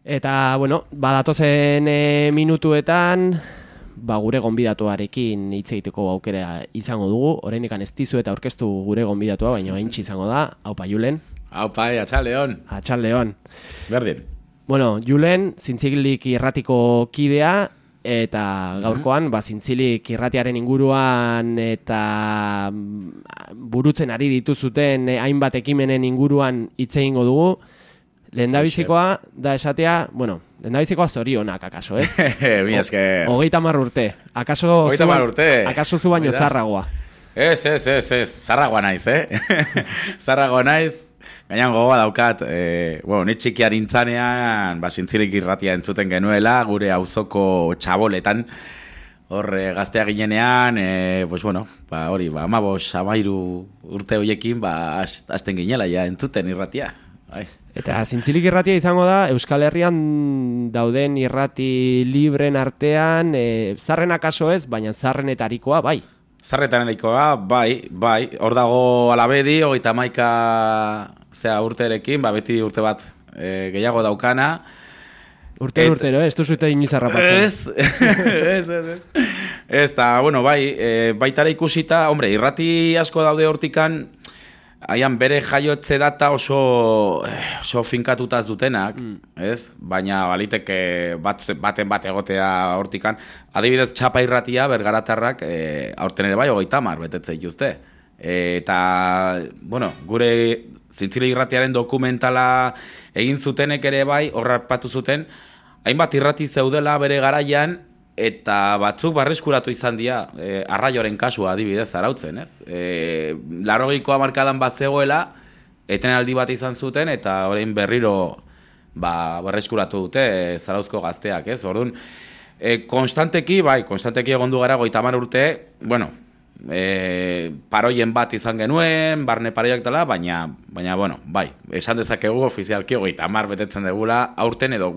Eta, bueno, badatozen minutuetan, gure gonbidatuarekin hitz egiteko aukera izango dugu. Oraindik ez dizu eta aurkeztu gure gonbidatua, baina gaintxi izango da. Aupa, Julen. Aupa, atxaldeon. Atxaldeon. Berdin. Bueno, Julen, Zintzilik irratiko kidea, eta gaurkoan, Zintzilik irratiaren inguruan eta burutzen ari dituzuten hainbat ekimenen inguruan hitz egingo dugu. Lehendabizikoa da esatea, lehendabizikoa zorionak, akaso, ez? Mi esker. 30 urte. Akaso zu baino zarragoa. Ez. Zarragoa naiz, Zarragoa naiz. Gainan gogoa daukat, ni txikiar intzanean, Zintzilik irratia entzuten genuela, gure auzoko txaboletan, hor gaztea ginenean, hori, 15 urte horiekin, hasten ginela ja entzuten irratia. Eta Zintzilik irratia izango da, Euskal Herrian dauden irrati libren artean, zarren akaso ez, baina zarrenetarikoa, bai. Zarrenetarikoa, bai, hor dago Alabedi, 31 urterekin, beti urte bat gehiago daukana. Urtero, ez duzuete inizarrapatzen. Ez, eta, baitara ikusita, irrati asko daude hortikan, haian bere jaiotze data oso finkatutaz dutenak, ez? Baina baliteke baten bat egotea hortikan. Adibidez, Txapa irratia, Bergaratarrak, aurten ere bai, 30 betetze dituzte. Eta, gure Zintzilik irratiaren dokumentala egin zutenek ere bai, horrapatu zuten, hainbat irrati zeudela bere garaian, eta batzuk barreskuratu izan dira, Arraioren kasua adibidez arautzen, ez? 80ko hamarkadan bat zegoela, etenaldi bat izan zuten, eta orain berriro barreskuratu dute Zarauzko gazteak, ez? Orduan, konstanteki egon du gara 30 urte, paroien bat izan genuen, barne paroiak dela, baina, esan dezakegu ofizialki 30 betetzen degula, aurten edo,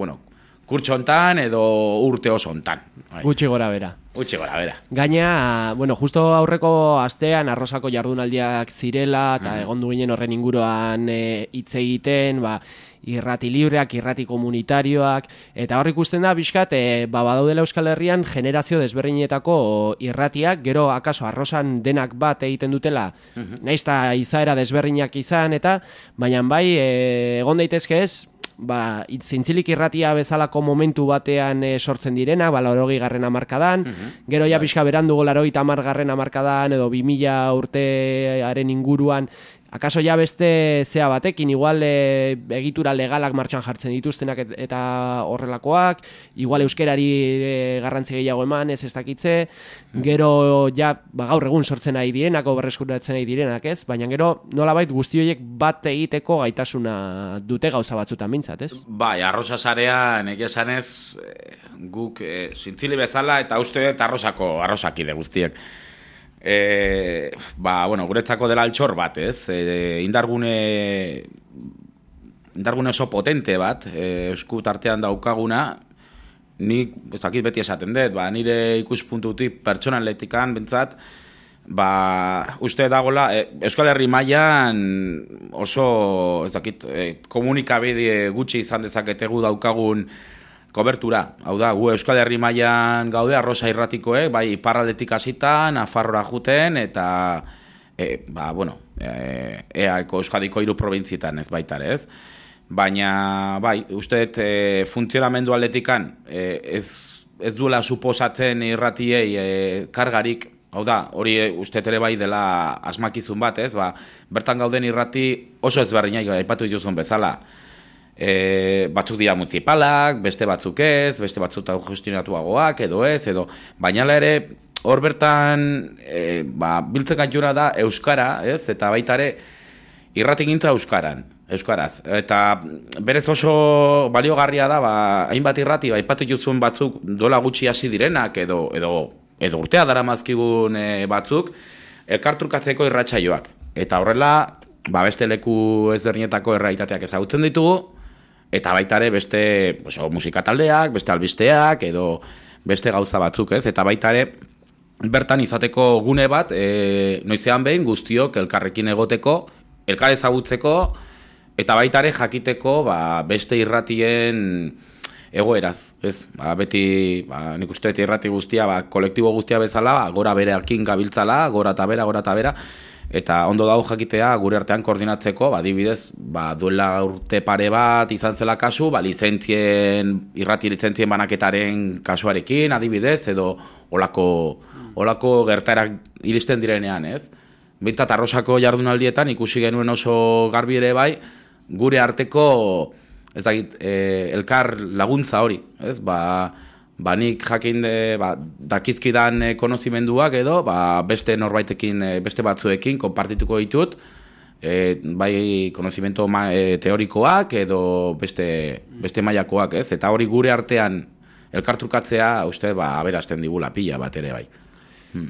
kurtso hontan edo urte oso hontan. Gutxi gora bera. Gaina, justo aurreko astean Arrosako jardunaldiak zirela, eta egon du ginen horren inguruan hitz egiten, irrati libreak, irrati komunitarioak, eta hor ikusten da, bizkat, badaudela Euskal Herrian generazio desberdinetako irratiak, gero akaso Arrosan denak bat egiten dutela, nahiz eta izaera desberdinak izan, eta baina bai, egon daitezke ez, Zintzilik irratia bezalako momentu batean sortzen direna, 80. hamarkadan, gero ja pixka berandu 80. hamarkadan edo 2000 urtearen inguruan, akaso ja beste zea batekin, igual egitura legalak martxan jartzen dituztenak eta horrelakoak, igual euskerari garrantzi gehiago eman, ez dakitze, gero ja gaur egun sortzen ari direnak, berreskuratzen ari direnak, ez? Baina gero nolabait guzti horiek bat egiteko gaitasuna dute gauza batzutan mintzat, ez? Arrosa sarean egia esanez guk Zintzili bezala eta uste dut arrosakide guztiek. Guretzako dela altxor bat, ez? Indargune oso potente bat, esku tartean daukaguna, nik, beti esaten dut, nire ikuspuntutik pertsonaletikan, bentsat, uste dagoela, Euskal Herri mailan oso, komunikabide gutxi izan dezaketegu daukagun kobertura, hau da, gu Euskal Herri mailan gaude, Arrosa irratikoek, iparraldetik hasita, Nafarroa juten, eta, EAeko Euskadiko 3 probintzietan ez baitare, ez? Baina, uste dut, funtzionamendu aldetikan, ez duela suposatzen irratiei kargarik, hau da, hori uste ere bai dela asmakizun bat, ez? Bertan gauden irrati oso ezberdinak, aipatu dituzun bezala, batzuk dira municipalak, beste batzuk ez, beste batzuk gestionatuagoak, baina ere, hor bertan, biltzen gaitura da euskara, ez? Eta baita ere, irratigintza euskaraz. Eta berez oso baliogarria da, hainbat irrati, aipatu dituzun batzuk dola gutxi hasi direnak, edo urtea daramazkigun batzuk, elkartrukatzeko irratsaioak. Eta horrela, beste leku ezberdinetako errealitateak ezagutzen ditugu, eta baita ere beste musikataldeak, beste albisteak, edo beste gauza batzuk, ez? Eta baita ere bertan izateko gune bat, noizean behin guztiok elkarrekin egoteko, elkar ezagutzeko, eta baita ere jakiteko beste irratien egoeraz, ez? Beti, nik uste irrati guztia, kolektibo guztia bezala, gora bereakin gabiltzala, gora eta bera, eta ondo dago jakitea gure artean koordinatzeko, adibidez, duela urte pare bat izan zela kasu, irrati lizentzien banaketaren kasuarekin, adibidez, edo olako gertaerak iristen direnean, ez? Bintzat Arrosako jardunaldietan ikusi genuen oso garbi ere bai, gure arteko, ez dakit, elkar laguntza hori, ez? Nik jakin dakizkidan konozimenduak edo, beste norbaitekin, beste batzuekin, konpartituko ditut, bai konozimendu teorikoak edo beste mailakoak, ez? Eta hori gure artean elkartrukatzea, uste, aberasten digula pila bat ere bai.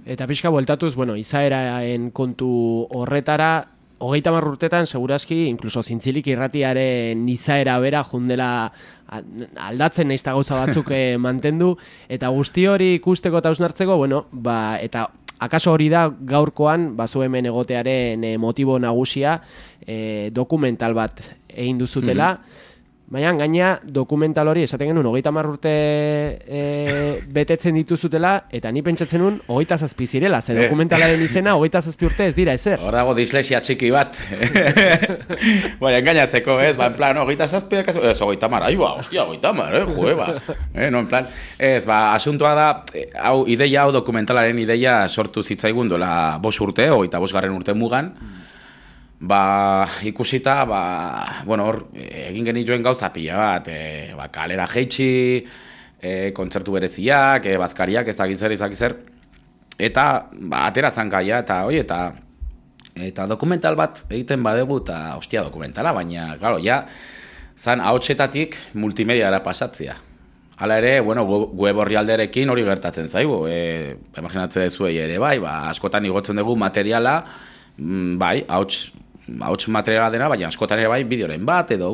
Eta pixka bueltatuz, izaeraen kontu horretara, 30 urtetan, segurazki, inkluso Zintzilik irratiaren izaera bera jundela aldatzen nahiz eta gauza batzuk mantendu, eta guzti hori ikusteko eta hausnartzeko, eta akaso hori da gaurkoan, zu hemen egotearen motibo nagusia, dokumental bat egin duzutela, baina gaina dokumental hori esaten genuen 30 urte betetzen dituzutela, eta ni pentsatzen nuen 27 zirela, ze dokumentalaren izena 27 urte ez dira ezer. Hor dago dislexia txiki bat. Baina engainatzeko, ez? En plan, 27, ez 30, hostia, 30, no, en plan, ez, asuntoa da, ideia hau dokumentalaren ideia sortu zitzaigun dola 5 urte, 25 urte mugan, ikusita, hor, egin genituen gauza pila bat, kalera jeitsi, kontzertu bereziak, bazkariak, ez dakizzer, eta, atera zan gaia, eta dokumental bat egiten badegu, eta, hostia, dokumentala, baina, claro, zan ahotsetatik multimediara pasatzea. Hala ere, web orrialderekin hori gertatzen zaigu, imaginatzen zuei ere, askotan igotzen dugu materiala, ahots materiala dena, baina askotan ere bideoren bat, edo,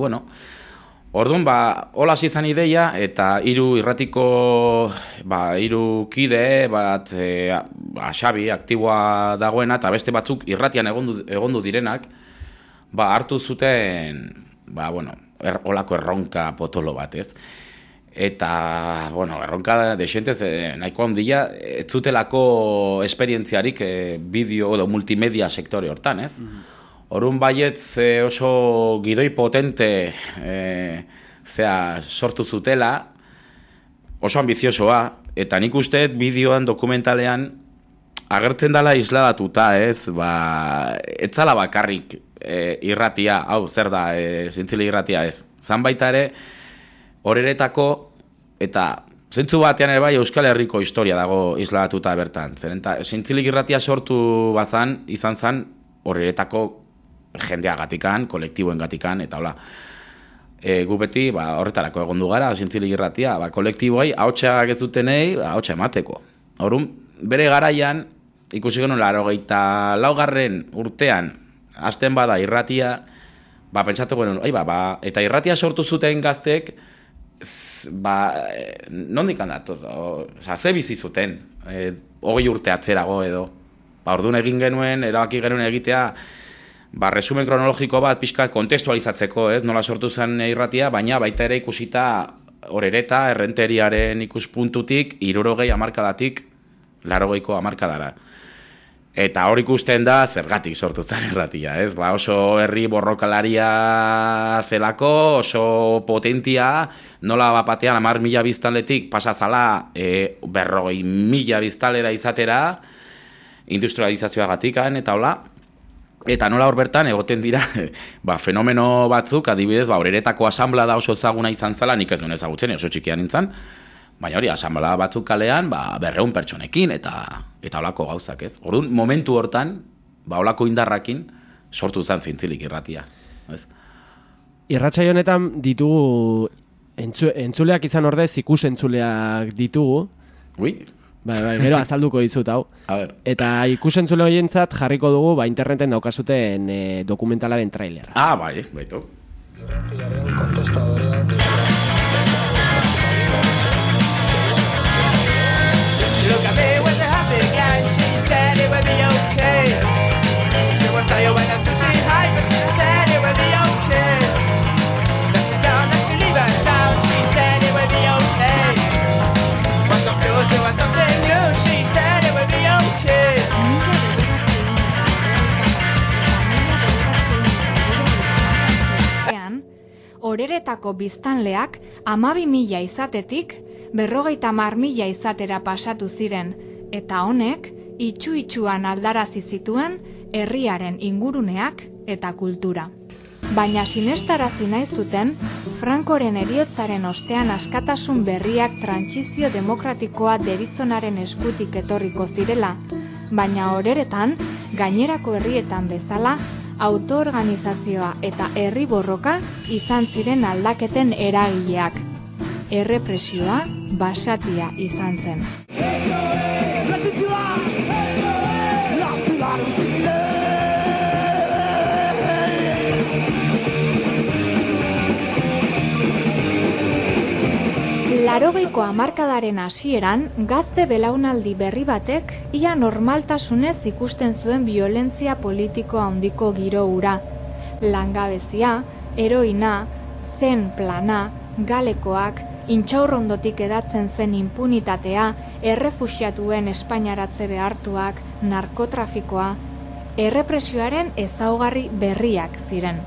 Orduan, hola izan ideia, eta irratiko, hiru kide, Xabi, aktiboa dagoena, eta beste batzuk irratian egondu direnak, hartu zuten, holako erronka potolo bat, ez? Eta, erronka desentez, nahiko handia, ez zutelako esperientziarik bideo edo multimedia sektore hortan, ez? Orduan baietz oso gidoi potente sortu zutela, oso ambiziosoa, eta nik usteet bideoan, dokumentalean, agertzen dela isladatuta, ez? Ez zala bakarrik irratia, hau, zer da, Zintzilik irratia ez. Zan baita ere, horeretako, eta zentzu batean ere Euskal Herriko historia dago isladatuta bertan. Zintzilik irratia sortu bazan, izan zan, horeretako jendeagatikan, kolektiboen gatikan, eta hola. Gu beti, horretarako egondu gara, Zintzilik irratia, kolektiboei, ahotsak ez dutenei, ahotsa emateko. Orduan, bere garaian, ikusi genuen 84. urtean, hasten bada irratia, pentsatu genuen, eta irratia sortu zuten gaztek, nondik handatoz, ze bizi zuten, 20 urte atzerago edo. Orduan egin genuen, erabaki genuen egitea, resumen kronologiko bat pixka kontestualizatzeko, ez, nola sortu zen irratia, baina baita ere ikusita horereta, errenteriaren ikuspuntutik, 60 hamarkadatik, 80ko hamarkadara. Eta hor ikusten da, zergatik sortu zen irratia, ez? Oso herri borrokalaria zelako, oso potentia, nola batean 10.000 biztanletik pasazala 40.000 biztanlera izatera, industrializazioagatikan, eta hola. Eta nola hor bertan egoten dira fenomeno batzuk, adibidez, horeretako asanblada oso ezaguna izan zela, nik ez duen ezagutzen, oso txikian nintzen, baina hori, asanblada batzuk kalean, 200 pertsonekin, eta holako gauzak, ez? Orduan, momentu hortan, holako indarrakin, sortu zen Zintzilik irratia, ez? Irratsaio honetan ditugu, entzuleak izan ordez, ikusentzuleak ditugu. Ui? Gero azalduko dizut hau. Eta ikusentzule horientzat jarriko dugu interneten daukazuten dokumentalaren trailerra. Baitu. She said it would be hirietako biztanleak 12.000 izatetik 50.000 izatera pasatu ziren, eta honek itxu-itxuan aldarazi zituen herriaren inguruneak eta kultura. Baina sinestarazi nahi zuten, Francoren heriotzaren ostean askatasun berriak trantsizio demokratikoa deritzonaren eskutik etorriko zirela, baina horeretan, gainerako herrietan bezala, autoorganizazioa eta herri borroka izan ziren aldaketen eragileak. Errepresioa basatia izan zen. Larogeiko hamarkadaren hasieran, gazte belaunaldi berri batek ia normaltasunez ikusten zuen violentzia politiko handiko giro hura. Langabezia, heroina, zen plana, galekoak, intxaurrondotik edatzen zen impunitatea, errefuxiatuen espainaratze behartuak, narkotrafikoa, errepresioaren ezaugarri berriak ziren.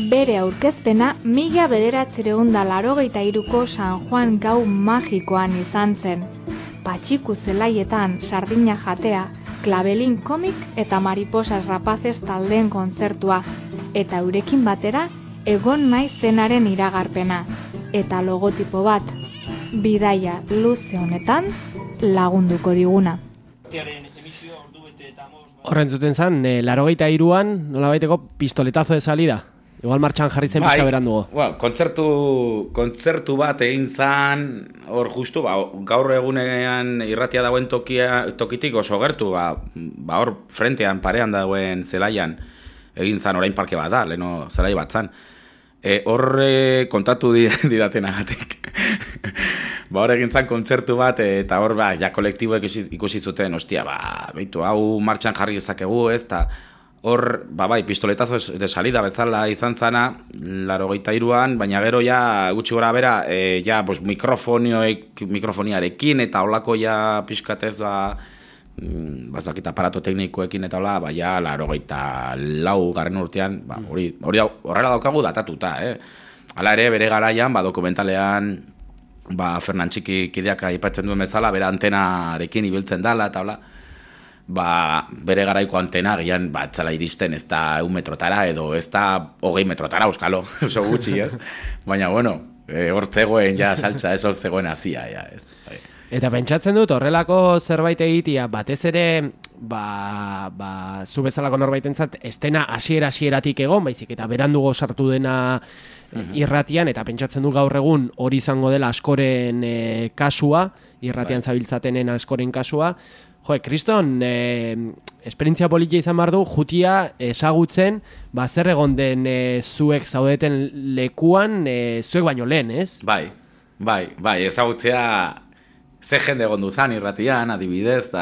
Bere aurkezpena 1983ko San Juan gau magikoan izan zen. Patxiku zelaietan sardina jatea, klabelin komik eta mariposas rapazes taldeen kontzertua, eta eurekin batera egon nahi zenaren iragarpena, eta logotipo bat, bidaia luze honetan lagunduko diguna. Horren zuten zen, 83an nolabaiteko pistoletazo de salida. Igual martxan jarri zen pizka berandugo. Kontzertu bat egin zan, hor justu, gaur egunean irratia dagoen tokitik oso gertu, hor frentean, parean dagoen zelaian egin zan, orain parke bat da, leheno zelai bat zan. Hor kontatu didatenagatik. Hor egin zan kontzertu bat, eta hor ja kolektiboek ikusi zuten, ostia, beitu, hau martxan jarri ezakegu, ez, eta hor, pistoletazo de salida bezala izan zana, 83an, baina gero ja, gutxi gora bera, mikrofoniarekin, eta holako ja pixkatez, bazakit aparato teknikoekin eta hola, 84 garren urtean, horrela daukagu datatuta, Hala ere, bere garaian, dokumentalean, Fernan Txiki kideak aipatzen duen bezala, bere antenarekin ibiltzen dala, eta hola, bere garaiko antena gian batzala iristen ez da 1 metrotara edo ez da 20 metrotara, euskalo, oso gutxi, ez? Baina, bueno, hor zegoen ja saltza, ez hor zegoen hazia, ja, ez? Eta pentsatzen dut, horrelako zerbait egitea, batez ere, zu bezalako norbaitentzat, estena hasieratik egon, baizik, eta berandugo sartu dena irratian, eta pentsatzen du gaur egun hori izango dela askoren kasua, irratian zabiltzatenen askoren kasua. Kriston, esperientzia politia izan behar du, jutia ezagutzen, zer egon den zuek zaudeten lekuan, zuek baino lehen, ez? Bai, ezagutzea ze jende egon duzan irratian, adibidez,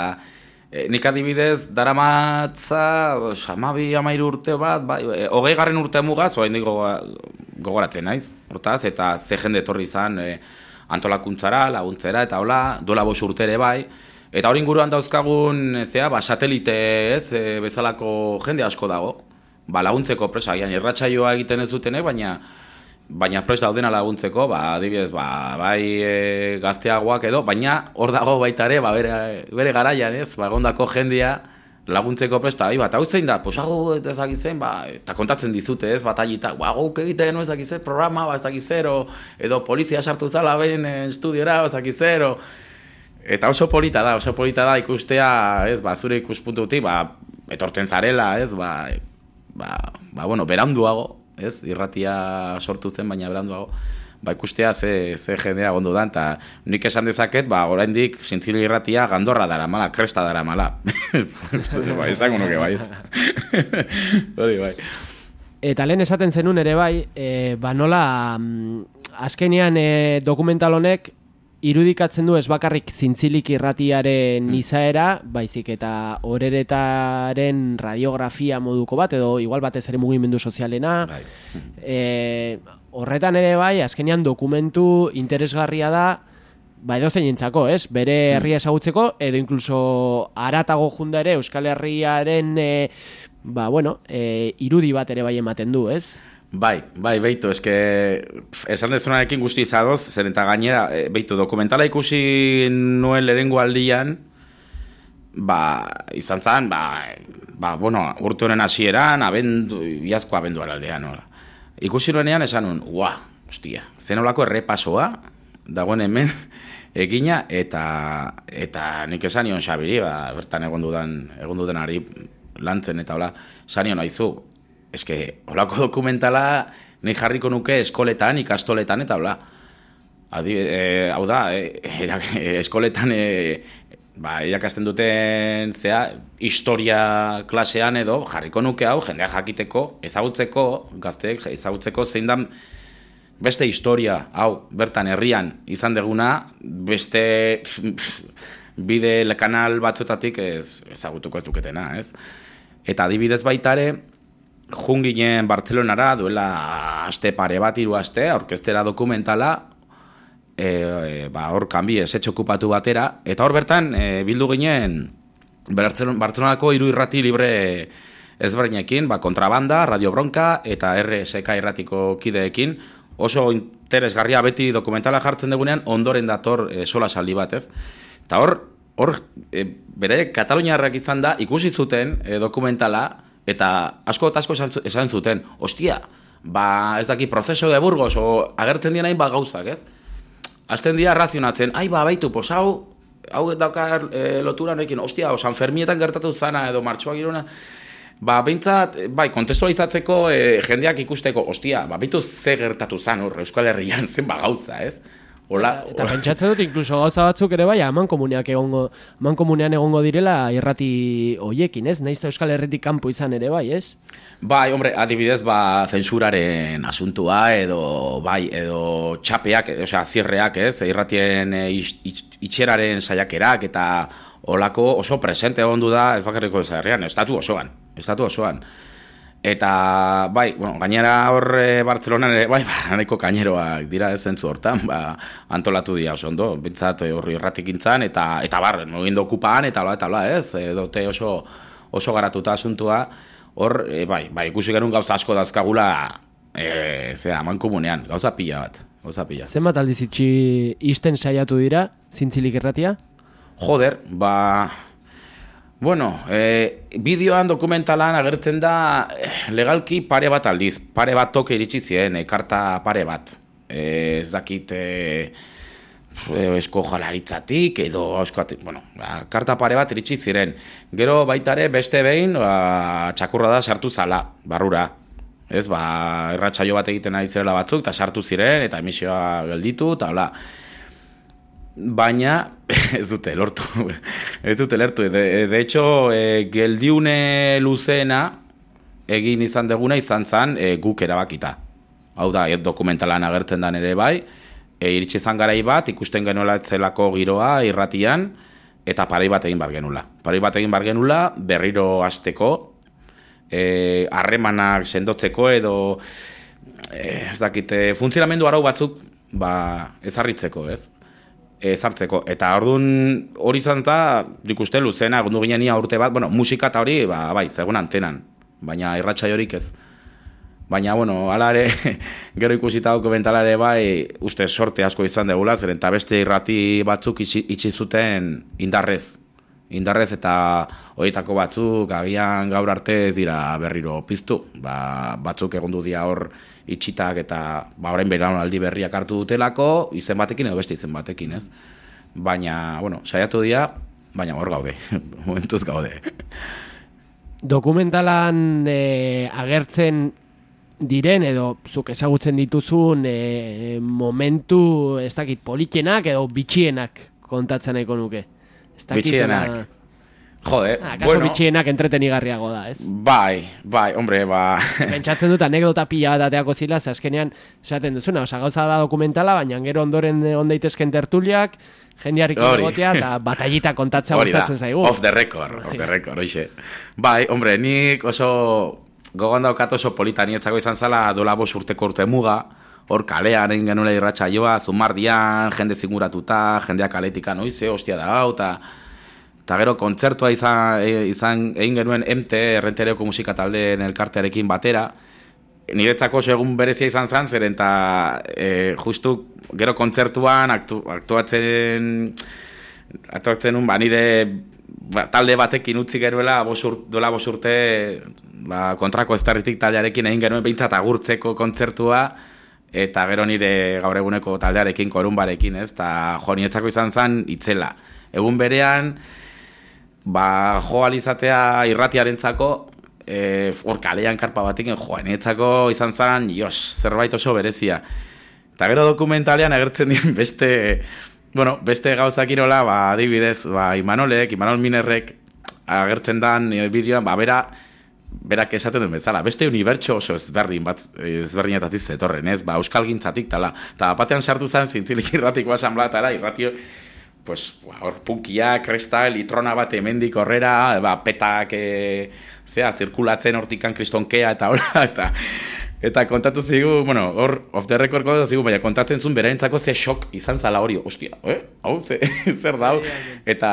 nik adibidez, daramatza, 12-13 urte bat, 20. urte mugaz, gogoratzen naiz, hortaz, eta ze jende etorri izan antolakuntzara, laguntzera, eta hola, duela 5 urte ere bai, eta hori inguruan dauzkagun, satelite ez, bezalako jende asko dago, laguntzeko presa, irratsaioa egiten ez dutenek, baina presa daudena laguntzeko, adibidez, bai gazteagoak edo, baina hor dago baita ere, bere garaian ez, egondako jendea laguntzeko presta, hau zein da, hau ezakizen, eta kontatzen dizute ez, batailita, guk egiten ezakizen programa, ezakizero, edo polizia sartu zala behin estudiora, ezakizero. Eta oso polita da ikustea, ez, zure ikuspuntutik, etortzen zarela, ez, beranduago, ez, irratia sortu zen, baina beranduago, ikustea ze jendea gondo da, eta nik esan dezaket, oraindik Zintzili irratia gandorra daramala, kresta daramala. Esango nuke bai. Hori bai. Eta lehen esaten zenun ere bai, nola, azkenean dokumental honek, irudikatzen du ez bakarrik Zintzilik irratiaren izaera, baizik eta horeretaren radiografia moduko bat, edo igual batez ere mugimendu sozialena. Horretan ere bai, azkenean dokumentu interesgarria da, edo zeinentzako, ez? Bere herria ezagutzeko, edo inkluso haratago junda ere Euskal Herriaren irudi bat ere bai ematen du, ez? Bai, beitu, esan dezunarekin guzti izadoz, zer eta gainera, beitu, dokumentala ikusi nuen lehenengo aldian, izan zen, bueno, urte honen hasieran, iazko abenduan aldean, nola. Ikusi nuenean esan nuen, hostia, zenolako errepasoa, dagoen hemen, egina, eta nik esan nion Xabiri, bertan egon dudan ari lantzen, eta hola, esan nion haizu, holako dokumentala nik jarriko nuke eskoletan, ikastoletan, eta hola. Hau da, eskoletan irakasten duten historia klasean edo jarriko nuke hau, jendea jakiteko, ezagutzeko, gazteek ezagutzeko zein dan beste historia, hau, bertan herrian izan deguna, beste bide kanal batzuetatik ezagutuko ez duketena, ez? Eta adibidez baitare, junginen Bartzelonara, duela aste pare bat, 3 aste, orkestera dokumentala, hor kanbi esetxe okupatu batera, eta hor bertan bildu ginen Bartzelonako 3 irrati libre ezberdinekin, kontrabanda, Radio Bronka eta RSK irratiko kideekin, oso interesgarria beti dokumentala jartzen dugunean, ondoren dator solasaldi bat, ez? Eta hor bere Kataluniarrak izan da, ikusi zuten dokumentala, eta asko esan zuten, hostia, ez daki proceso de Burgos, o agertzen dien hain gauzak, ez? Azten dira razionatzen, baitu, hau daukar lotura noekin, hostia, San Fermietan gertatu zana, edo martxoak iruna, behintzat, kontestualizatzeko jendeak ikusteko, hostia, baitu ze gertatu zan, Euskal Herrian zen gauza, ez? Eta pentsatzen dut, inkluso gauza batzuk ere bai, amankomunean egongo direla irrati hoiekin, ez? Naiz Euskal Herritik kanpo izan ere bai, ez? Bai, hombre, adibidez, zensuraren asuntua, edo txapeak, zierreak, ez? Irratien itxeraren saiakerak, eta olako oso presente egondu da, ez bakarriko herrian, estatu osoan. Eta, gainera hor Bartzelonan, nahiko kaineroak dira ez zentzu hortan, antolatu dira oso ondo, bintzat horri irratik intzan, eta mugindo okupaan, eta ez, dote oso garatuta asuntua, hor, ikusi genuen gauza asko dazkagula, amankomunean, gauza pila bat. Zenbat aldiz isten saiatu dira, Zintzilik irratia? Joder, bueno, bideoan dokumentalan agertzen da legalki pare bat aldiz, pare bat toke iritsi ziren, karta pare bat. Ez dakit esko jalaritzatik edo karta pare bat iritsi ziren. Gero baitare beste behin txakurra da sartu zala, barrura. Ez, irratsaio bat egiten ari zirela batzuk, eta sartu ziren, eta emisioa gelditu, eta hola. Baina ez dute lortu. De hecho, geldiune luzena egin izan deguna izan zen guk erabakita. Hau da, dokumentalan agertzen dan ere bai, iritsi izan garai bat, ikusten genuela etzelako giroa irratian, eta parai bat egin bar genula. Berriro hasteko, harremanak sendotzeko edo ez dakite, funtzionamendu arau batzuk ezarritzeko, ez? Ezartzeko, eta orduan hori izan da, nik uste luzena, gundu ginen urte bat, musika eta hori, zegoen antenan, baina irratsaio horik ez. Baina, hala ere, gero ikusita dokumentala ere uste sorte asko izan degula, zeren eta beste irrati batzuk itxi zuten indarrez eta horietako batzuk, agian gaur arte ez dira berriro piztu, batzuk egondu dira hor itxitak eta orain belaunaldi berriak hartu dutelako, izen batekin edo beste izen batekin, ez? Baina, saiatu dira, baina hor gaude, momentuz gaude. Dokumentalan agertzen diren edo zuk ezagutzen dituzun momentu ez dakit politxenak edo bitxienak kontatzen nahiko nuke. Bitxienak. Jode, kaso bitxienak entretenigarriago da, ez? Bai, hombre, Pentsatzen dut anekdota pila bat ateako zila, ze azkenean esaten duzuna, gauza da dokumentala, baina gero ondoren ondaitezken tertuliak, jendearriko egotea, eta batallita kontatzea gustatzen zaigu. Off the record, hoxe. Bai, hombre, nik oso gogoan daukat oso polita nietzako izan zala dola 5 urteko urte muga, hor kalean egin genuela irratsaioa, zumardian, jende zinguratuta, jendeak kaletikan, oize, hostia da hau, eta gero kontzertua izan egin genuen MT, Errenterioko musika taldeen elkartearekin batera, niretzako oso egun berezia izan zen, zeren eta justu gero kontzertuan aktuatzen nun, nire talde batekin utzi geruela dola 5 urte kontrako estarritik taldearekin egin genuen behintzat agurtzeko kontzertua, eta gero nire gaur eguneko taldearekin, Korunbarekin, ez? Eta niretzako izan zen itzela. Egun berean, jo alizatea irratiarentzako, hor kalean karpa batekin, niretzako izan zen, zerbait oso berezia. Eta gero dokumentalean agertzen dien beste gauzak irola, adibidez, Imanol Minerrek agertzen dan bideoan, berak esaten duen bezala, beste unibertso oso ezberdinetatik zetorren, ez? Euskal gintzatik tala. Eta batean sartu zen zintzilik irratiko asanblatara, irratio, hor punkia, kresta, litrona bat hemendik horrera, petak, zirkulatzen hortikan kristonkea eta horra, eta kontatu zigu, hor off the record kontatu zigu, baina kontatzen zuen berarentzako ze shock izan zala hori, ostia, hau, zer da, eta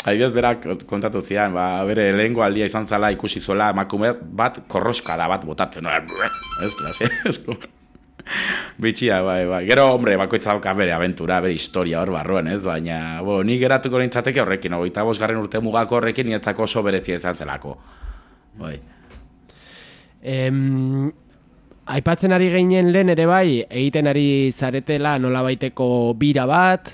adibidez berak kontatu zian, bere lehengo aldia izan zala ikusi zuela emakume bat korroskada bat botatzen, ez, bitxia, bai. Gero, hombre, bakoitza dauka bere aventura, bere historia hor barruan, ez, baina, ni geratuko nintzateke horrekin, 25. urte mugako horrekin nietzako oso berezia izan zelako, bai. Aipatzen ari geinen lehen ere bai, egiten ari zaretela nolabaiteko bira bat,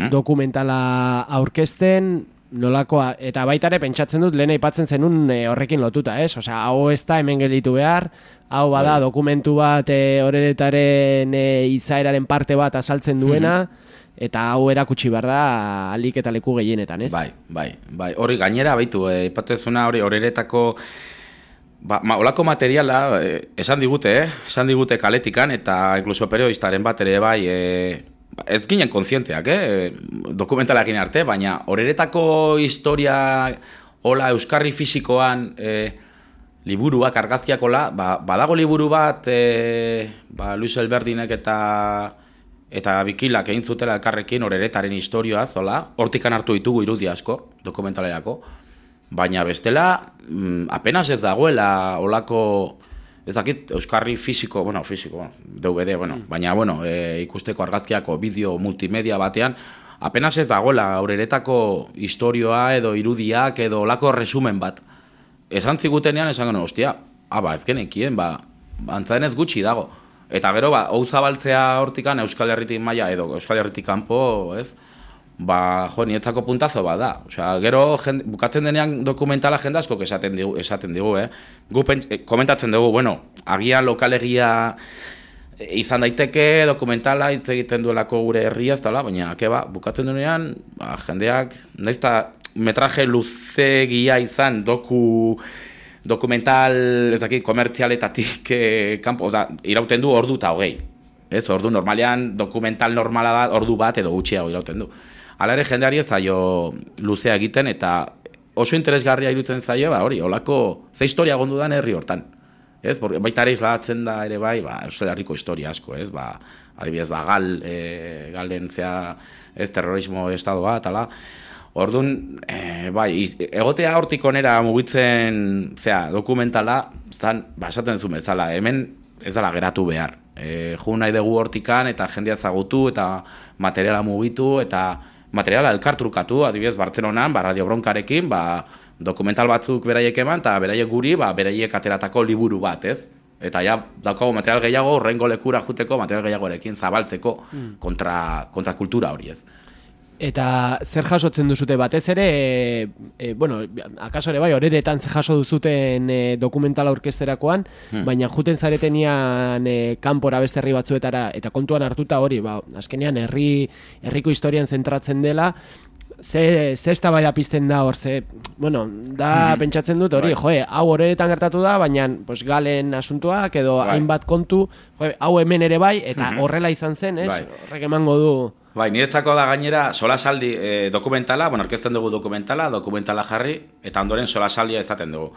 dokumentala aurkezten, nolakoa, eta baitare pentsatzen dut lehen aipatzen zenun horrekin lotuta, ez? Osea, hau ez da hemen gelditu behar, hau bada dokumentu bat horeretaren izaeraren parte bat asaltzen duena, eta hau erakutsi behar da alik eta leku gehienetan, ez? Bai. Hori gainera, baitu, ipatezuna hori horeretako olako materiala esan digute kaletikan, eta inkluso periodistaren bat ere bai, ez ginen kontzienteak, dokumentalakin arte, baina horeretako historia hola euskarri fisikoan liburuak, argazkiak hola, badago liburu bat Luis Elberdinek eta Bikilak egin zutela elkarrekin horeretaren historioaz, hola, hortikan hartu ditugu irudi asko dokumentalerako, baina bestela apenas ez dagoela olako, ez dakit, euskarri fisiko, DVD, baina, ikusteko argazkiako bideo multimedia batean, apenas ez dagoela horeretako historioa edo irudiak edo olako resumen bat. Esan zigutenean, esan gano, ostia, ez genekien, antzaden ez gutxi dago. Eta gero, hau zabaltzea hortikan Euskal Herritik maila edo Euskal Herritik kanpo, ez? Nietzako puntazo da. Osea, gero bukatzen denean dokumentala jende askok esaten digu, Gu komentatzen dugu, agian lokalegia izan daiteke dokumentala hitz egiten duelako gure herria, ez dela, baina bukatzen denean, jendeak, nahiz eta metraje luzegia izan dokumental, ez dakit, komertzialetatik kanpo, irauten du ordu eta 20. Ez, ordu normalean, dokumental normala da, ordu bat edo gutxiago irauten du. Hala ere jendeari ez zaio luzea egiten, eta oso interesgarria irutzen zaio, hori, holako, ze historia gondu dan herri hortan. Ez, baita ere islatzen da ere bai, Euskal Herriko historia asko, ez, adibidez, galen zea, ez, terrorismo estado bat, ala. Orduan, egotea hortik onera mugitzen, dokumentala, esaten zuen bezala, hemen ez dela geratu behar. Ju nahi dugu hortikan, eta jendea zagutu, eta materiala mugitu, eta materiala elkartrukatu, adibidez, Bartzelonan, Radio Bronkarekin, dokumental batzuk beraiek eman, eta beraiek guri, beraiek ateratako liburu bat, ez? Eta ja, daukago material gehiago, horrengo lekura juteko, material gehiagorekin zabaltzeko kontra kultura hori, ez? Eta zer jasotzen duzute batez ere, akaso ere bai, horeretan zer jaso duzuten dokumentala orkesterakoan, baina juten zaretenian kanpora beste herri batzuetara, eta kontuan hartuta hori, azkenean herriko historian zentratzen dela, ze eztabaida pizten da hor, pentsatzen dut hori, hau horeretan gertatu da, baina galen asuntuak edo hainbat kontu, hau hemen ere bai, eta horrela izan zen, ez? Horrek emango du. Niretzako da gainera solasaldi dokumentala, orkesten dugu dokumentala jarri, eta ondoren solasaldia izaten dugu.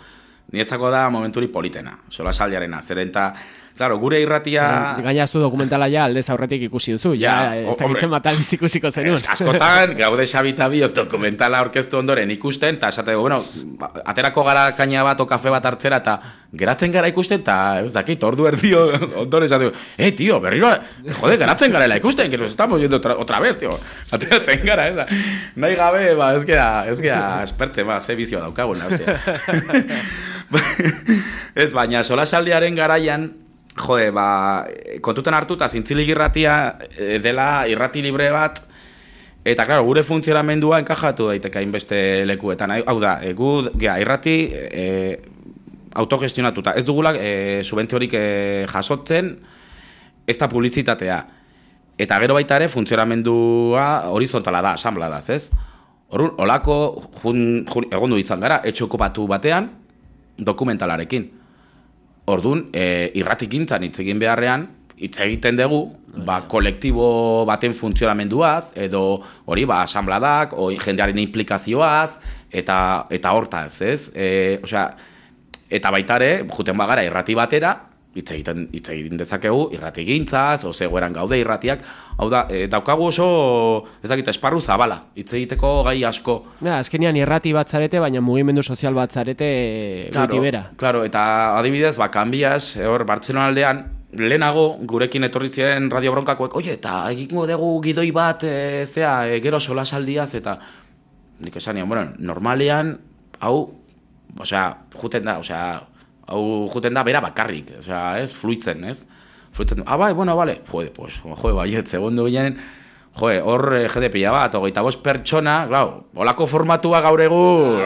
Niretzako da momenturi politena, solasaldiarena, zeren eta Claro, gure irratia... Gainaztu dokumentala ja aldez aurretik ikusi duzu, ja, ez dakitzen bat aldiz ikusiko zenun. Askotan, gaude Xabita biok dokumentala aurkeztu ondoren ikusten, eta esate, bueno, aterako gara kaina bat o kafe bat hartzera, eta geratzen gara ikusten, eta ez dakit, ordu erdio ondoren esate, tío, berriro, jode, geratzen garela ikusten, que nos estamos yendo otra vez, tío, ateratzen gara, ez da. Nahi gabe, ez gera espertzen, ze bizio daukaguna, hostia. Ez, baina solasaldiaren garaian, jode, kontutan hartu eta Zintzilik irratia dela irrati libre bat, eta, klaro, gure funtzionamendua enkajatu daiteke hainbeste lekuetan. Hau da, irrati autogestionatuta. Ez dugula subentziorik jasotzen, ez da publizitatea. Eta gero baita ere funtzionamendua horizontala da, asanbladaz, ez? Horun, olako egondu izan gara, etxe okupatu batean, dokumentalarekin. Orduan, irratikintzan hitz egin beharrean, hitz egiten dugu, kolektibo baten funtzionamenduaz, edo hori, asanbladak, jendearen implikazioaz, eta hortaz, ez? Eta baitare, juten bagara irrati batera, hitz egiten dezakegu irratigintzaz, zegoeran gaude irratiak, hau da, daukagu oso, ez dakit, esparru zabala, hitz egiteko gai asko. Azkenean irrati bat zarete, baina mugimendu sozial bat zarete goiti bera. Claro, eta adibidez, Kanbias, hor, Bartzelona aldean, lehenago, gurekin etorri ziren Radio Bronkakoek, oie, eta egingo dugu gidoi bat, gero solasaldiaz, eta nik esanian, bueno, normalean, hau, juten da bera bakarrik, ez, fluitzen, ez? Fluitzen, bai, bueno, vale, baiet, segundu ginen, hor jede pila bat, 25 pertsona, klar, holako formatua gaur egun,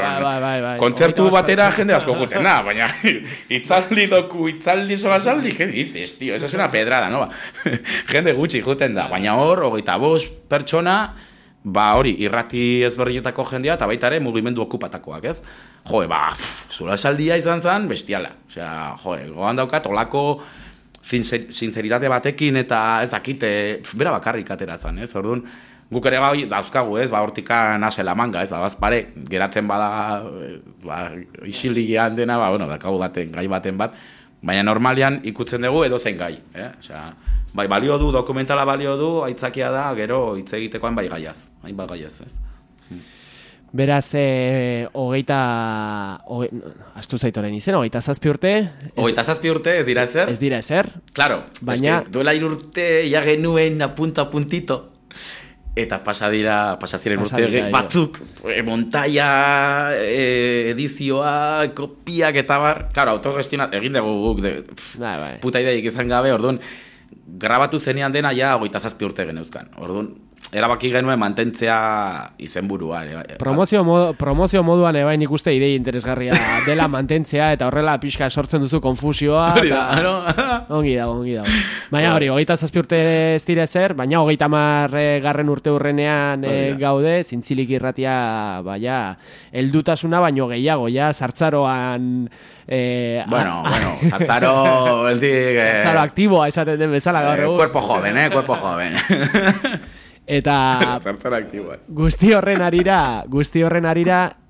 kontzertu batera jende asko juten, baina itzaldi solasaldi, ¿qué dices, tío? Esa es una pedrada, no? Jende gutxi juten da, baina hor, 25 pertsona, hori, irrati ezberdietako jendea, eta baita ere mugimendu okupatakoak, ez? Solasaldia izan zen, bestiala. Goan daukat, olako sinceritate batekin, eta ez dakite, bera bakarrik atera zen, ez? Orduan, guk ere dauzkagu, ez? Hortikan asela manga, ez? Bazpare, geratzen bada, isilian dena, dakagu baten, gai baten bat, baina normalian ikutzen dugu edo zen gai, bai, balio du, dokumentala balio du, aitzakia da, gero hitz egiteko hainbat gaiaz, ez? Beraz, astu zaitoren izen, 27 urte? 27 urte, ez dira ezer? Ez dira ezer. Claro, baina duela 3 urte ja genuen puntito. Eta pasaziren urte batzuk, montaia, edizioa, kopiak eta bar. Claro, autogestionat, egin dugu guk, puta ideik izan gabe, orduan, grabatu zenean dena ja 27 urte geneuzkan. Orduan, erabaki genuen mantentzea izenburua. Promozio moduan ebain ikuste idei interesgarria dela mantentzea, eta horrela pixka sortzen duzu konfusioa. Ongi dago. Baina hori, 27 urte ez dira ezer, baina 30 urte hurrenean gaude, Zintzilik irratia, heldutasuna baino gehiago, ja, sartzaroan... sartzaro... Sartzaro aktiboa esaten den bezala gaur egun. Cuerpo joven. Eta guzti horren arira,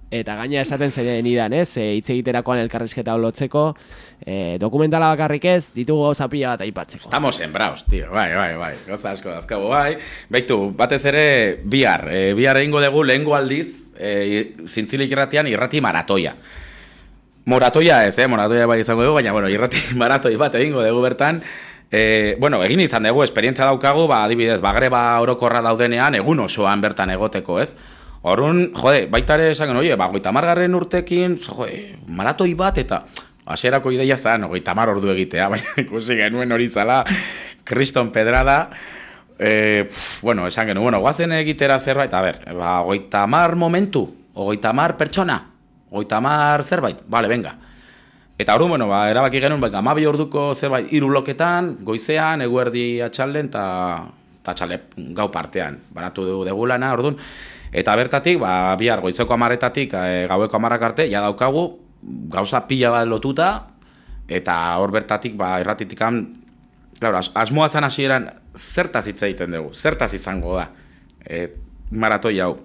eta gaina esaten zeinen idan, hitz egiterakoan elkarrizketa olotzeko, dokumentala bakarrik ez, ditugu gauza pila bat aipatzeko. Estamos sembraos, tío, bai, gauza asko dazkago, bai. Baitu, batez ere, bihar egingo dugu lehengo aldiz, Zintzilik irratian irrati maratoia. Moratoia ez, moratoia bai izango dugu, baina, irrati maratoi bat egingo dugu bertan. Egin izan dugu, esperientza daukagu, adibidez, greba orokorra daudenean, egun osoan bertan egoteko, ez? Horun, baitare esan genuen, 50 urtekin, maratoi bat, eta hasierako ideia zen, 50 ordu egitea, baina ikusi genuen hori zala, kriston pedrada, esan genuen, guazen egitera zerbait, 50 momentu, 50 pertsona, 50 zerbait, bale, venga. Eta hori, erabaki genuen, 12 orduko zerbait 3 bloketan, goizean, eguerdi atxalden, eta atxalde gau partean, banatu dugu lana, orduan. Eta bertatik, bihar goizeko 10-etatik, gaueko 10 arte, ja daukagu, gauza pila bat lotuta, eta hor bertatik, irratitikan, asmoa zen hasieran, zertaz hitz egiten dugu, zertaz izango da, maratoi hau.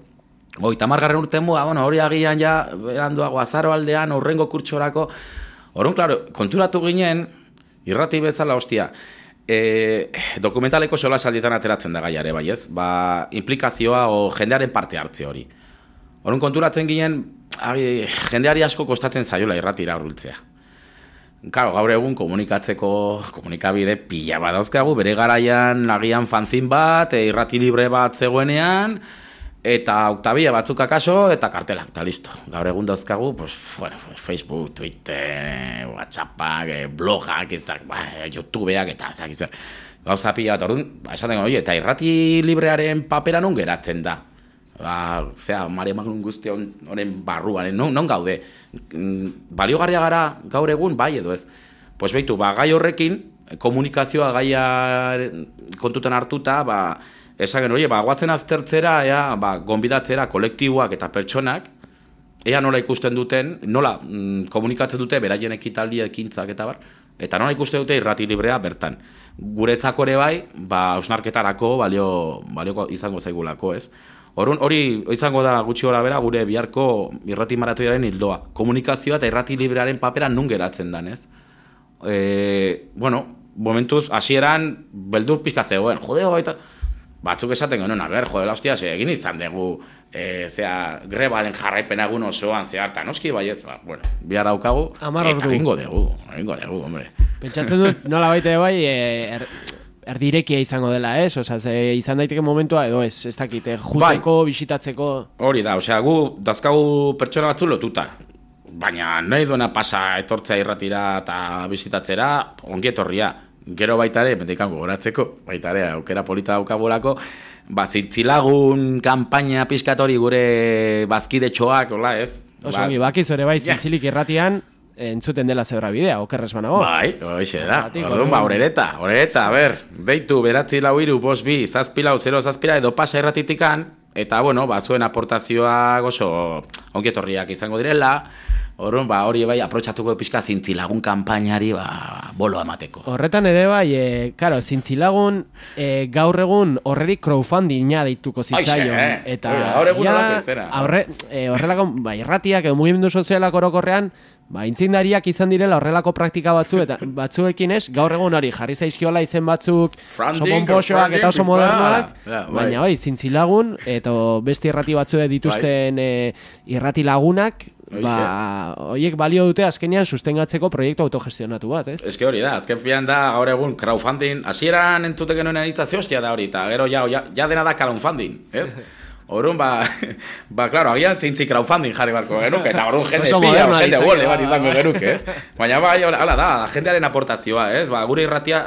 50 urten hori agian ja, beranduago azaro aldean, urrengo kurtsorako. Horren, konturatu ginen, Irrati bezala, hostia, dokumentaleko solasaldietan ateratzen da gaiare, bai ez? Ba, implikazioa o jendearen parte hartze hori. Horren konturatzen ginen, jendeari asko kostatzen zaiola irratira hurbiltzea. Claro, gaur egun komunikabide pila badauzkagu, bere garaian agian fanzin bat, irrati libre bat zegoenean, eta oktabia batzuk akaso, eta kartelak, eta listo. Gaur egun dauzkagu, pues, bueno, Facebook, Twitter, WhatsAppak, blogak, YouTubeak, eta zer. Gauza pila bat, orduan, esaten goi, eta irrati librearen papera non geratzen da. Mare magnum guzti honen barruan, non gaude? Baliogarria gara gaur egun, bai edo ez? Pues behitu, gai horrekin, komunikazioa gaia kontutan hartuta, esagen hori, guatzen aztertzera, gonbidatzera kolektiboak eta pertsonak, ea nola ikusten duten, nola komunikatzen dute, beraien ekitaldi ekintzak eta bar, eta nola ikusten dute irrati librea bertan. Guretzako ere bai, hausnarketarako balioko izango zaigulako, ez? Hori izango da gutxi gora bera gure biharko irrati maratoiaren hildoa. Komunikazioa eta irrati librearen papera nun geratzen dan, ez? Momentuz, hasieran beldur pixka zegoen, jodeo eta batzuk esaten genuen, jodela hostia, egin izan dugu grebaren jarraipena egun osoan zehartan, noski baiet, bihar daukagu, eta egingo dugu, hombre. Pentsatzen dut, nola baite bai, erdirekia izango dela, ez? Izan daiteke momentua edo ez dakit, juteko, bisitatzeko... Hori da, gu dazkagu pertsona batzu lotuta, baina nahi duena pasa etortzea irratira eta bisitatzera, ongi etorria. Gero baitare, mendikan gogoratzeko, baitare, aukera polita daukabolako, zintzilagun kanpaina pizkatori gure bazkide txoak, hola, ez? Oso, bakiz ere bai, zintzilik irratian, entzuten dela zebra bidea, okerrez banago. Bai, hoxe da. Orduan, horereta, deitu, 942 2 0 edo pasa irratitikan, eta, zuen aportazioak oso ongietorriak izango direla, orduan, hori bai, aprotxatuko pixka zintzilagun kanpainari, bolo amateko. Horretan ere bai, zintzilagun gaur egun horrerik crowdfundinga deituko zitzaion. Eta gaur egun horrek horrelako, irratiak, mugimendu sozialak orokorrean, intzindariak izan direla horrelako praktika batzuekin ez, gaur egun hori jarri zaizkiola izen batzuk, oso pomposoak eta oso modernoak, baina zintzilagun, eta beste irrati batzuek dituzten irrati lagunak, horiek balio dute azkenean sustengatzeko proiektu autogestionatu bat, ez? Ez que hori da, azken fian da, gaur egun crowdfunding, hasieran entzute genuen anitzaze hostia da hori, eta gero ja dena da crowdfunding, ez? Orduan, claro, agian zeintzi crowdfunding jarri barko genuke, eta orduan jende pila, jende gole bat izango genuke, ez? Baina, hala da, jendearen aportazioa, ez? Gure irratia,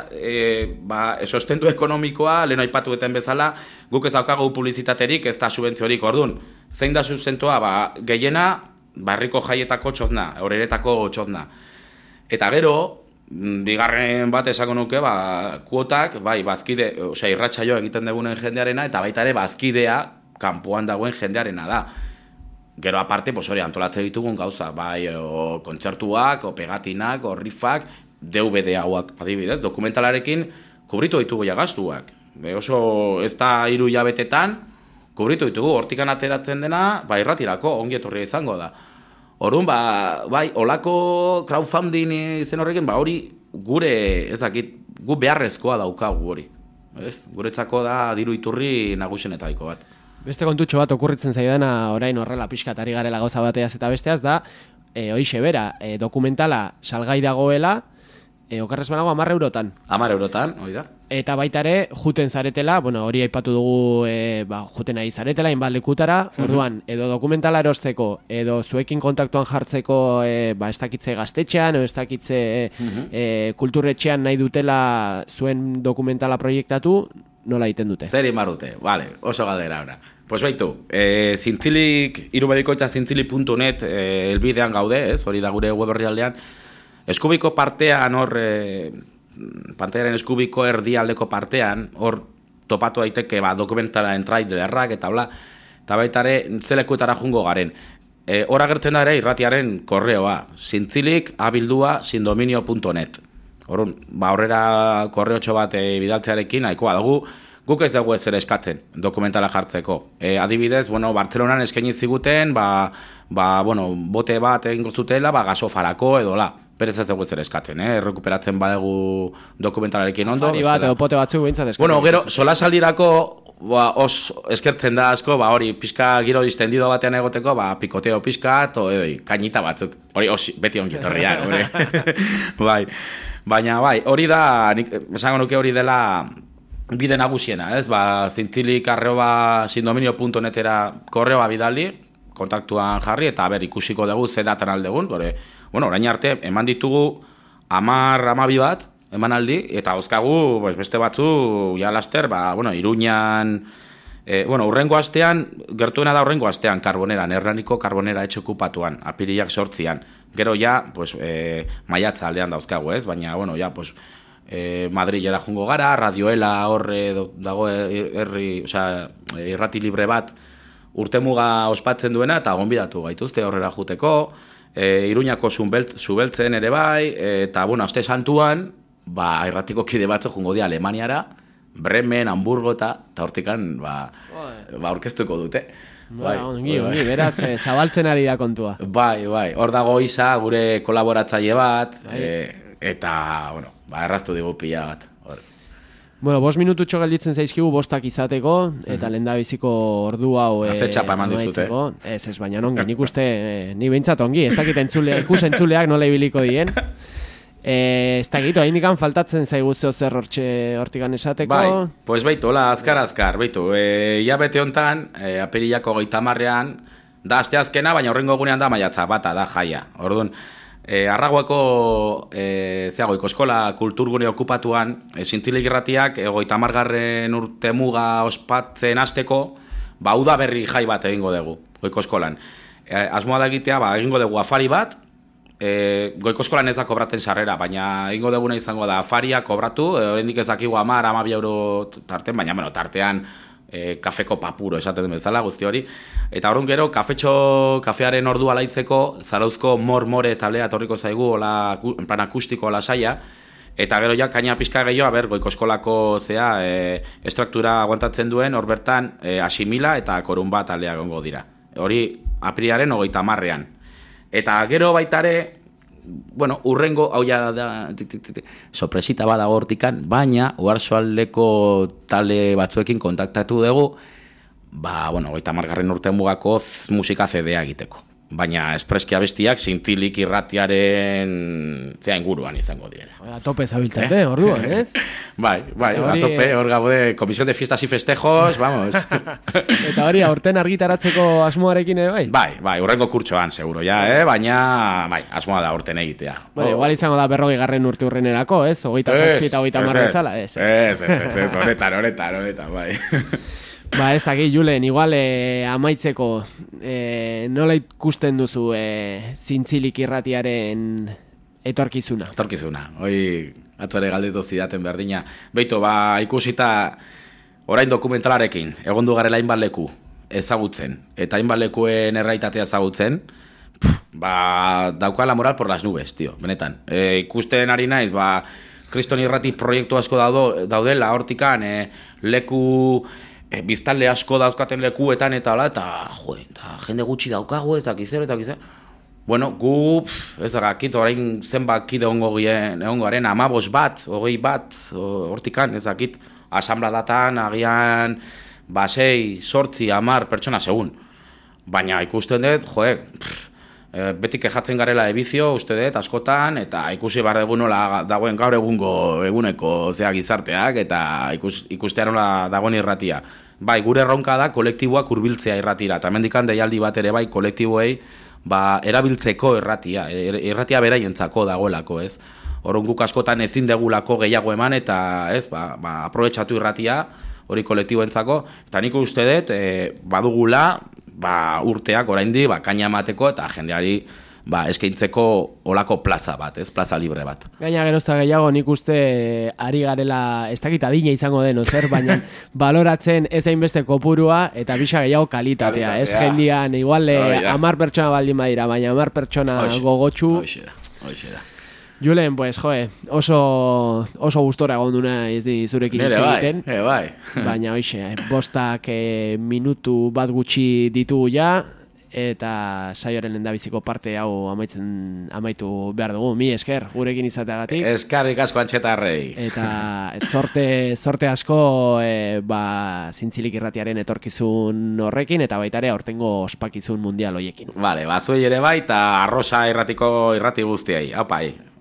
sostendu ekonomikoa, lehen aipatu eten bezala, guk ez daukagu publizitaterik, ez da subentziorik, orduan, zein da sustentua, gehiena, barriko jaietako txozna, horeretako txozna. Eta gero, bigarren bat esango nuke, kuotak, bazkide, irratsaio egiten dugunen jendearena, eta baita ere bazkidea, kanpoan dagoen jendearena da. Gero aparte, hori antolatzen ditugun gauza, kontzertuak, pegatinak, rifak, DVD hauak, adibidez, dokumentalarekin kubritu ditugu gastuak. Oso ez da 3 hilabetetan, kubritu ditugu, hortikan ateratzen dena, irratirako, ongi etorria izango da. Orduan, olako crowdfunding izen horrekin, hori gure, gu beharrezkoa daukagu hori. Guretzako da diru iturri nagusienetaiko bat. Beste kontutxo bat okurritzen zaidana orain horrela pixkatari garela gauza bateaz eta besteaz da, hoixe bera, dokumentala salgai dagoela, okerrez banago 10 eurotan. 10 eurotan, hori da. Eta baita ere, juten zaretela, hori aipatu dugu, juten nahi zaretela, inbaldekutara, orduan, edo dokumentala erosteko, edo zuekin kontaktuan jartzeko, ez dakitze gaztetxean, edo ez dakitze kulturretxean nahi dutela zuen dokumentala proiektatu, nola egiten dute? Zer imarrute, oso galdera ora. Pues baitu, zintzilik, irubedikoitza zintzilik.net elbidean gaude, hori da gure web orrialdean, eskubiko partean hor, pantaiaren eskubiko erdialdeko partean, hor topatu daiteke dokumentala trailerrak eta bla, eta baita ere zelekuetara jungo garen. Hor agertzen da ere irratiaren korreoa, zintzilik@sindominio.net. Horrela korreotxo bat bidaltzearekin nahikoa dugu, guk ez dugu ez ere eskatzen dokumentala jartzeko. Adibidez, Bartzelonan eskaini ziguten, bote bat egingo zutela, gasofarako edo la. berez ez dugu zer eskatzen, errekuperatzen badegu dokumentalarekin ondo. Afari bat edo pote batzuk behintzat eskatzen. Bueno, gero, solasaldirako eskertzen da asko, hori pixka giro distendido batean egoteko, pikoteo pixka, kainita batzuk. Hori, beti ongi etorria, bai. Baina, hori da, esango nuke hori dela bide nagusiena, ez? Zintzilik@sindominio.netera korreoa bidali, kontaktuan jarri, eta ikusiko dugu ze datan aldegun, orain arte, eman ditugu 10-12 bat, emanaldi, eta dauzkagu beste batzu, ja laster, Iruñan, urrengo astean, gertuena da urrengo astean, Karboneran, Hernaniko Karbonera etxe okupatuan, apirilak 8an. Gero ja, maiatza aldean dauzkagu, ez? Baina, Madrilera jungo gara, Radioela horre dago irrati libre bat urtemuga ospatzen duena, eta gonbidatu gaituzte horrela juteko, Iruñako zubeltzen ere bai, eta, aste santuan, irratiko kide batzu jungo dira Alemaniara, Bremen, Hamburgo eta hortikan, orkestuko dute. Ongi, beraz, zabaltzen ari da kontua. Bai, hor dago Isa, gure kolaboratzaile bat, eta, erraztu digu pila bat. 5 minututxo gelditzen zaizkigu 5 izateko, eta lehendabiziko ordu hau... Azetxapa eman dizute. Ez, baina ongi, nik uste, ni behintzat ongi, ez dakit ikusentzuleak nola ibiliko dien. Ez dakit, hain dikan faltatzen zaigutze zer hortikan esateko. Baitu, azkar, baitu. Ia bete hontan, apirilako 30ean, da aste azkena, baina horrengo egunean da maiatza bata, da jaia. Orduan, Arraguako Ikoskola kulturgune okupatuan Zintzilik irratiak 30. urte muga ospatzen hasteko uda berri jai bat egingo dugu Goikoskolan. Asmoa da egitea, egingo dugu afari bat, Goikoskolan ez da kobraten sarrera, baina egingo duguna izango da afaria kobratu, oraindik ez dakigu 10-12 euro tarten, baina tartean kafeko papuro esaten bezala guzti hori. Eta orduan gero, kafearen ordua laitzeko, Zarauzko More talea etorriko zaigu, en plan akustiko lasaia, eta gero ja, kaina pixka gehiago, Goikoskolako estruktura aguantatzen duen, hor bertan, Asimila eta Korunba talea gongo dira. Hori, apirilaren 30ean. Eta gero baitare, urrengo, hau ja da, sorpresita badago hortikan, baina, Oarsoaldeko tale batzuekin kontaktatu dugu, 30. urte mugako musika CD-a egiteko. Baina espreski abestiak Zintzilik irratiaren inguruan izango direla. A tope zabiltzate, orduan, ez? Bai, a tope, hor gaude, Comisión de Fiestas y Festejos, vamos. Eta hori, aurten argitaratzeko asmoarekin, bai? Bai, urrengo kurtsoan, seguro, baina, asmoa da aurten egitea. Igual izango da 40. urte urrenerako, ez? 27 eta 30 zala, ez? Ez, honetan, bai. Ez dakit, Julen, igual amaitzeko nola ikusten duzu Zintzilik irratiaren etorkizuna? Hoi atzuare galdetu zidaten berdina. Beitu, ikusita orain dokumentalarekin, egondu garela hainbat leku ezagutzen, eta hainbat lekuen erraitatea ezagutzen, daukala moral por las nubes, tío, benetan. Ikusten ari naiz, Kriston irrati proiektu asko daudela, hortikan, leku... biztanle asko dauzkaten lekuetan eta jende gutxi daukagu ez dakizer. Bueno, gu, ez dakit, orain zenbat kide ongo garen, 15 bat, 20 bat, hortikan, ez dakit, asambladatan, agian, 6, 8, 10 pertsona segun. Baina ikusten dut, beti kejatzen garela ebizio, uste dut, askotan, eta ikusi behar dugu nola dagoen gaur eguneko gizarteak, eta ikustea nola dagoen irratia. Gure erronka da kolektiboak hurbiltzea irratira, eta mendikan deialdi bat ere kolektiboei erabiltzeko irratia beraientzako dagoelako, ez? Orrun guk askotan ezin degulako gehiago eman, eta ez, aprobetxatu irratia, hori kolektiboentzako, eta nik uste dut, badugula, urteak oraindi kaina emateko eta jendeari eskaintzeko olako plaza bat, ez, plaza libre bat. Gaina gerozta gehiago nik uste ari garela, ez dakit adina izango den, zer, baina baloratzen ez hainbeste kopurua eta bisa gehiago kalitatea. Ez jendian, igual 10 pertsona baldin badira, baina 10 pertsona gogotxu. Hoxe da. Julen, pues, oso gustora gonduna ez di zurekin hitz egiten. Bai. Baina, hoxe, 5 minutu bat gutxi ditugu ja, eta saioaren lehendabiziko parte hau amaitu behar dugu. Mi esker, gurekin izateagatik. Eskerrik asko Antxetarrei. Eta sorte asko Zintzilik irratiaren etorkizun horrekin, eta baita ere aurtengo ospakizun mundial hoiekin. Vale, batzuei ere bai, eta Arrosa irratiko irrati guztiei. Aupai.